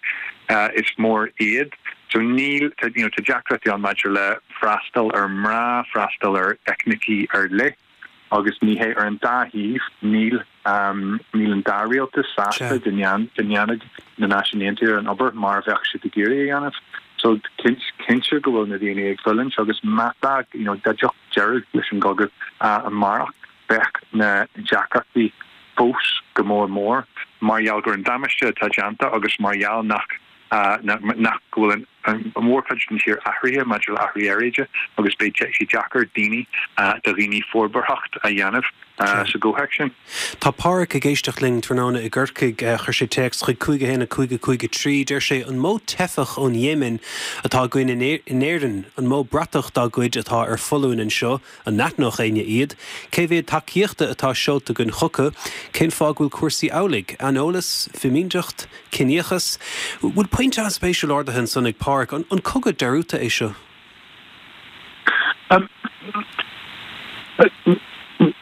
is mór iad. So níl, tá, you know, tá deacrachtaí ann maidir le freastal ar mná, freastal ar eitnicí ar leith. Agus ní hé ar an dá thaobh, níl níl an dá rialtas sásta go ndéanfadh na Náisiúin Aontaithe an obair mar a bheadh siad ag iarraidh a dhéanamh. So cinnte go bhfuil na daoine ag fulaingt agus má tá, you know, dá dtiocfadh deireadh leis an gcogadh amárach, bheadh na deacrachtaí fós go mór mór mar gheall gur an damáiste atá déanta agus mar gheall nach nach go bhfuil an mhórchuid den tír athraithe maidir le athrú aeráide agus beidh sé deacair daoine do dhaoine forbarthacht a dhéanamh sa gcomhthéacs sin. Tá Páraic ag éisteacht linn tráthnóna i gCorcaigh. Chuir sé téacs chuig 5 1 5 5 3. Deir sé, An mó teifeach ón Yemen atá againn in Éirinn? An mó bratach dá gcuid atá ar foluain anseo? An n-aithneodh éinne iad? Cé mhéad tacaíochta atá seolta againn chucu? Cén fáth go bhfuil cúrsaí amhlaidh? Aineolas? Fimínteacht? Ciníochas? Bhfuil pointe an-spéisiúil ardaithe ansan ag Páraic. An cogadh dearúdta é seo?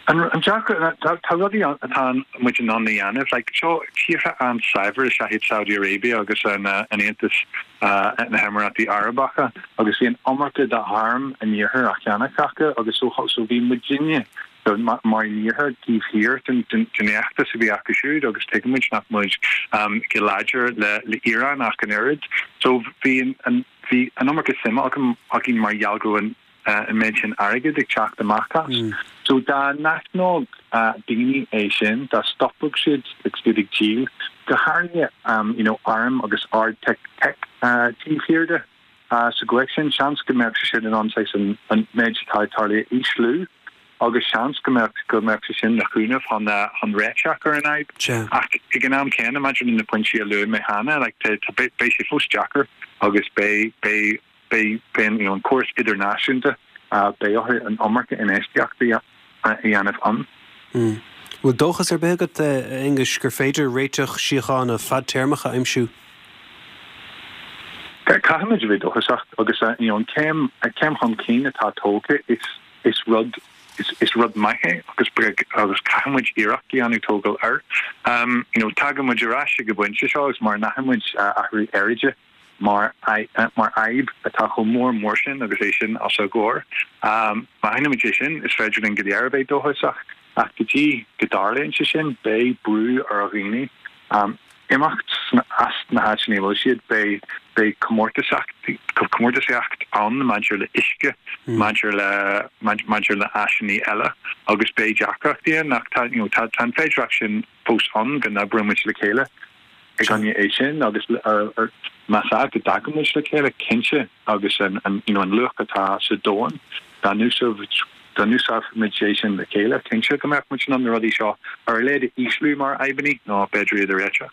An deacracht, tá rudaí atá muid in ann a dhéanamh, like seo tíortha an-saibhir is ea iad Saudi Arabia agus an Aontas na hEimireátaí Arabacha agus bhí an iomarca d'arm an iarthair á cheannach acu agus so bhí muidinne. Mar an Iarthar taobh thiar den fheachtas a bhí acu siúd agus tuigimid nach muid go láidir le Iran ach an oiread. So bhí an bhí an iomarca suime agam againn mar gheall go raibh an méid sin airgid ag teacht amach as. So dá n-aithneodh daoine é sin, dá stopfadh siad agus iad ag díol, go háirithe you know airm agus ard-tech taobh thiar de, Sa gcomhthéacs sin, seans go mbeadh sé sin in ann saghas an méid atá ag tarlú a ísliú agus seans go mbeadh go mbeadh sé sin ina chúnamh chun chun réiteach ar an fhadhb. Ach ag an am céanna, maidir le na pointí a luaigh mé cheana, like tá tá beidh beidh sé fós deacair agus beidh beidh beidh beidh an you know an córas idirnáisiúnta beidh orthu an iomarca infheistíochta a dhéanamh ann. Bhfuil dóchas ar bith agat, a Aonghuis, gur féidir réiteach síochána fadtéarmach a aimsiú? Caithfimid a bheith dóchasach agus you know an céim céim chun cinn atá tógtha is is rud is is rud maith é agus agus caithfimid iarracht a dhéanamh tógáil air. You know tagaimid ar ais ag an bpointe seo agus mura n-aithnímid athrú aeráide mar mar fhadhb atá chomh mór mór sin agus é sin os ár gcomhair. Má aithnímid é sin, is féidir linn go léir a bheith dóchasach, ach go dtí go dtarlaíonn sé sin, beidh brú ar dhaoine imeacht as na háiteanna a bhfuil siad, beidh beidh comórtasaíocht ann maidir le uisce, maidir le maidir le áiseanna eile agus beidh deacrachtaí ann ach tá you know tá an féidearthacht sin fós ann go n-oibreoidh muid le chéile. i gcoinne é sin agus más ea go dtagann muid le chéile, cinnte, agus an you know an luach atá sa domhan, dá n-úsáidfimid é sin le chéile, cinnte go mbeadh muid in ann na rudaí seo ar a laghad a ísliú mar fhadhbanna nó b'fhéidir iad a réiteach.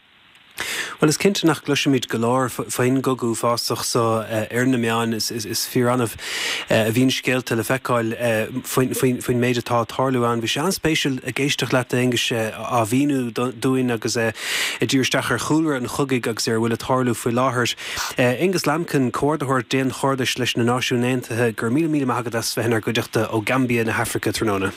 Bhuel, is cinnte nach gcloisimid go leor faoin gcogadh uafásach so ar na meáin. Is fíor-annamh a bhíonn scéalta le feiceáil faoin méid atá ag tarlú ann. Bhí sé an-spéisiúil ag éisteacht leat, a Aonghuis, á mhíniú dúinn agus ag díriú isteach ar chúlra an chogaidh agus ar a bhfuil ag tarlú faoi láthair. Aonghus Lambkin, Comhordaitheoir Daonchairdis leis na Náisiúin Aontaithe, go raibh míle míle maith agat as bheith inár gcuideachta ó Gambia na hAfraice tráthnóna.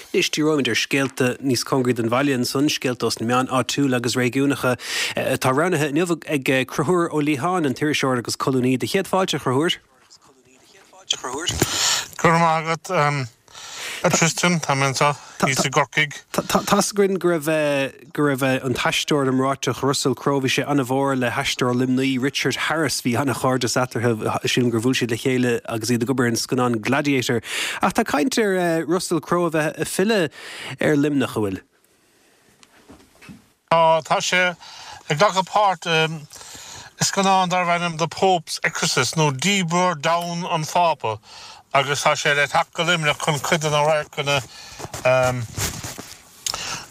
Anois, díreoimid ar scéalta níos cóngaraí don bhaile ansan, scéalta ós na meáin áitiúla agus réigiúnacha atá roghnaithe inniu ag Conchúr Ó Liatháin, an t-iriseoir agus colúnaí. Do chéad fáilte, a Chonchúir. Go raibh maith agat, a Tristan. Tá mé anseo thíos i gCorcaigh. Tá's againn go raibh, go raibh an t-aisteoir iomráiteach Russell Crowe, bhí sé an-mhór le haisteoir Luimnigh Richard Harris, bhí an-chairdeas eatarthu, sílim gur bhuail siad le chéile agus iad ag obair ar an scannán Gladiator. Ach tá caint ar Russell Crowe a bheith ag filleadh ar Luimneach, an bhfuil? Tá, tá sé ag glacadh páirt i scannán darbh ainm The Pope's Exorcist nó Díbreoir Donn an Phápa agus tá sé le teacht go Luimneach chun cuid de na radharcanna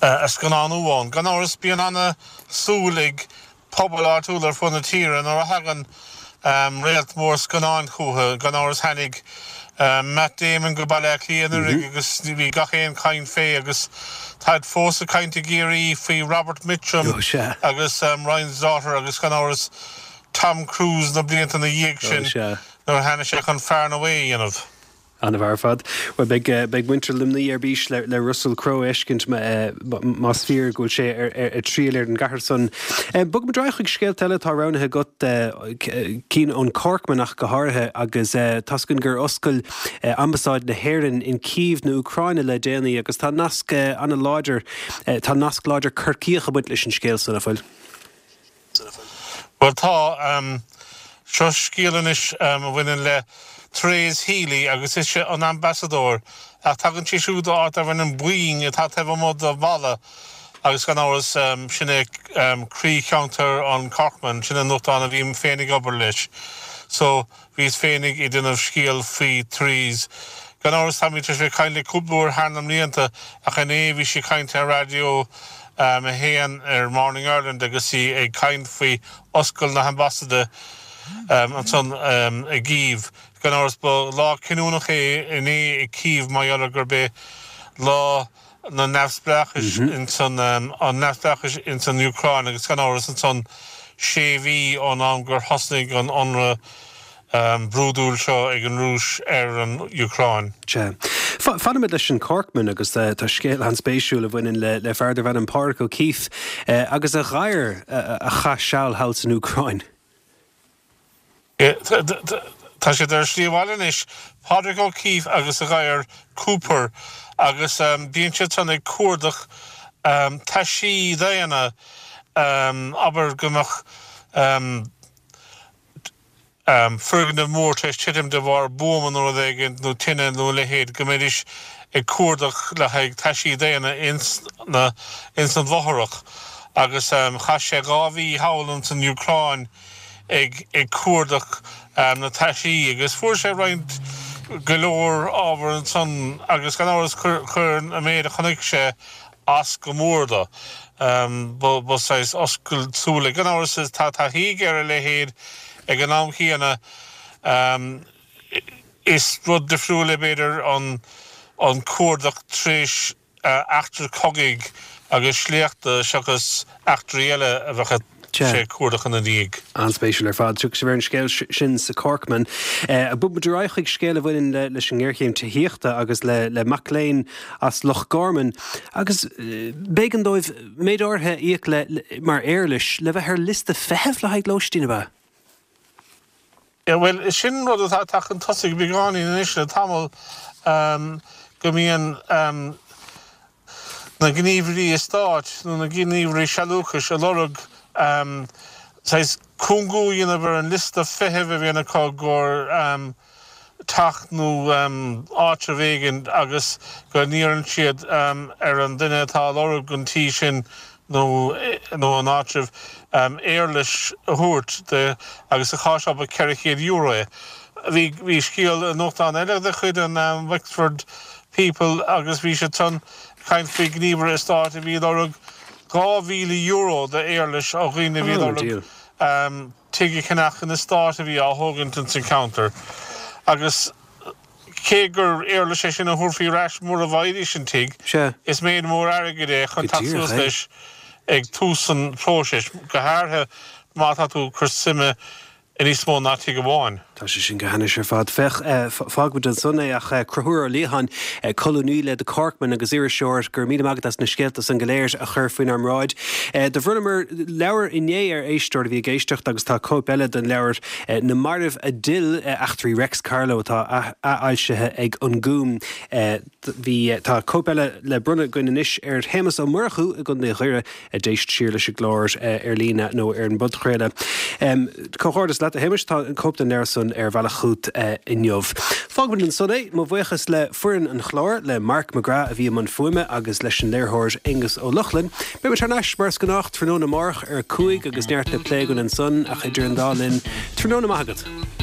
a scannánú ann. Gan amhras bíonn ana-súil ag pobail áitiúla ar fud na tíre nuair a thagann réalt mór scannáin chucu. Gan amhras tháinig Matt Damon go Baile Átha Cliath anuraidh agus bhí gach aon chaint fé agus táid fós ag caint i gCiarraí faoi Robert Mitchum agus Ryan's Daughter agus gan amhras Tom Cruise na blianta ina dhiaidh sin nuair a tháinig sé chun Far and Away a dhéanamh. An-fhear ar fad. Bhuel, beidh, beidh muintir Luimnigh ar bís le, le Russell Crowe a fheiscint más fíor go bhfuil sé ar, ar, ar triall ar an gcathair san. Bogfaimid ar aghaidh chuig scéalta eile atá roghnaithe agat, cinn ón Corkman ach go háirithe, agus tá's againn gur oscail Ambasáid na hÉireann in Cív na Úcráine le déanaí agus tá nasc an-láidir, tá nasc láidir Corcaíoch ag baint leis an scéal san, an bhfuil? Bhuel tá. Seo scéal anois a bhaineann le Therese Healy agus ise an ambasadóir ach tagann sí siúd ó áit darb ainm Bweeng atá taobh amuigh de Mhala agus gan amhras sin é croí-cheantar an Corkman, sin an nuachtán a bhím féin ag obair leis. So Bhíos féinig ag déanamh scéal faoi Therese. Gan amhras táimid tar éis bheith ag caint léi cúpla uair thar na mblianta ach inné bhí sí ag caint ar Raidió 1 ar Morning Ireland agus í ag caint faoi oscailt na hAmbasaide ansan i gCív. Gan amhras ba lá cinniúnach é inné i Cív mar gheall ar gurb é lá na neamhspleáchais insan an neamhspleáchais insan Úcráin agus gan amhras ansan sé mhí ón am gur thosnaigh an ionradh brúidiúil seo ag an Rúis ar an Úcráin. Sea. Fanfaimid leis an Corkman agus tá scéal an-spéisiúil a bhaineann le le fear darbh ainm Pádraig O'Keeffe agus a gadhar a chaith seal thall san Úcráin. Tá. Tá siad ar a slí abhaile anois, Pádraig O'Keeffe agus a ghadhar Cooper, agus bíonn siad san ag cuardach taisí daonna, abair go mbeadh foirgneamh mór tar éis titim de bharr buama nó rud éigin, nó tine nó a leithéid, go mbeidís ag cuardach le haghaidh taisí daonna ins na, ins an bhfothrach. Agus chaith sé 2 mhí thall ins an Úcráin ag ag cuardach na taisí agus fuair sé roinnt, go leor ábhar ansan agus gan amhras chuir chuir an méid a chonaic sé as go mór do. Ba ba saghas oscailt súl é. Gan amhras tá taithí aige ar a leithéid ag an am chéanna. Is rud difriúil é b'fhéidir an an cuardach tar éis eachtra cogaidh agus sléachta seachas eachtraí eile a bheadh sé ag cuardach ina ndiaidh. An-spéisiúil ar fad. Tiocfaidh sibh ar an scéal sin sa Corkman. Bogfaidh muid ar aghaidh chuig scéal a bhaineann leis an ngéarchéim tithíochta agus le mac léinn as Loch Garman agus b'éigean dóibh méid áirithe a íoc le mar éarlais le bheith ar liosta feithimh le haghaidh lóistín, ab ea? Bhuel, sin rud atá ag teacht chun tosaigh beagáinín anois le tamall, go mbíonn na gníomhairí eastáit nó na gníomhairí sealúchais ag lorg saghas cúngú a dhéanamh ar an liosta feithimh a bhíonn acu i gcomhair teach nó áitreabh éigin agus go n-iarrann siad ar an duine atá ag lorg an tí sin nó nó an áitribh, éarlais a thabhairt di agus sa chás seo ba €400 é. Bhí bhí scéal i nuachtán eile de chuid an Wexford People agus bhí siad san ag caint faoi ghníomhaire eastáit a bhí ag lorg €2,000 d'éarlais ó dhaoine a bhí ag lorg tigh a cheannach in eastát a bhí á thógaint ins an cheantar agus Cé gur éarlais é sin a thabharfaí ar ais mura bhfaighidís an tigh, is méid mór airgid é chun teacht suas leis ag tús an phróisis, go háirithe má tá tú ag cur suime i níos mó ná tigh amháin. Tá sé sin go hainnis ar fad. Féach, fágfaimid ansan é ach Conchúr Ó Liatháin, colúnaí le The Corkman agus iriseoir, go raibh míle maith agat as na scéalta san go léir a chur faoinár mbráid. Do bhronnamar leabhar inné ar éisteoir a bhí ag éisteacht agus tá cóip eile den leabhar Na Mairbh a D'Fhill, Eachtraí Reics Carló atá athfhoilsithe ag An Gúm. Bhí, tá cóip eile le bronnadh againn anois ar Shéamus Ó Murchú i gContae Dhoire a d'éist siar leis an gclár ar líne nó ar an bpodchraoladh. Comhghairdeas leat a Shéamuis, tá an cóip den leabhar san ar a bhealach chugat inniu. Fágfaimid ansan é. Mo bhuíochas le foireann an chláir, le Mark McGrath a bhí i mbun fuaime agus leis an léiritheoir Aonghus Ó Lochlainn. Beidh muid thar n-ais mar is gnách tráthnóna amárach ar a 5 agus neart le plé againn ansan ach idir an dá linn, tráthnóna maith agat.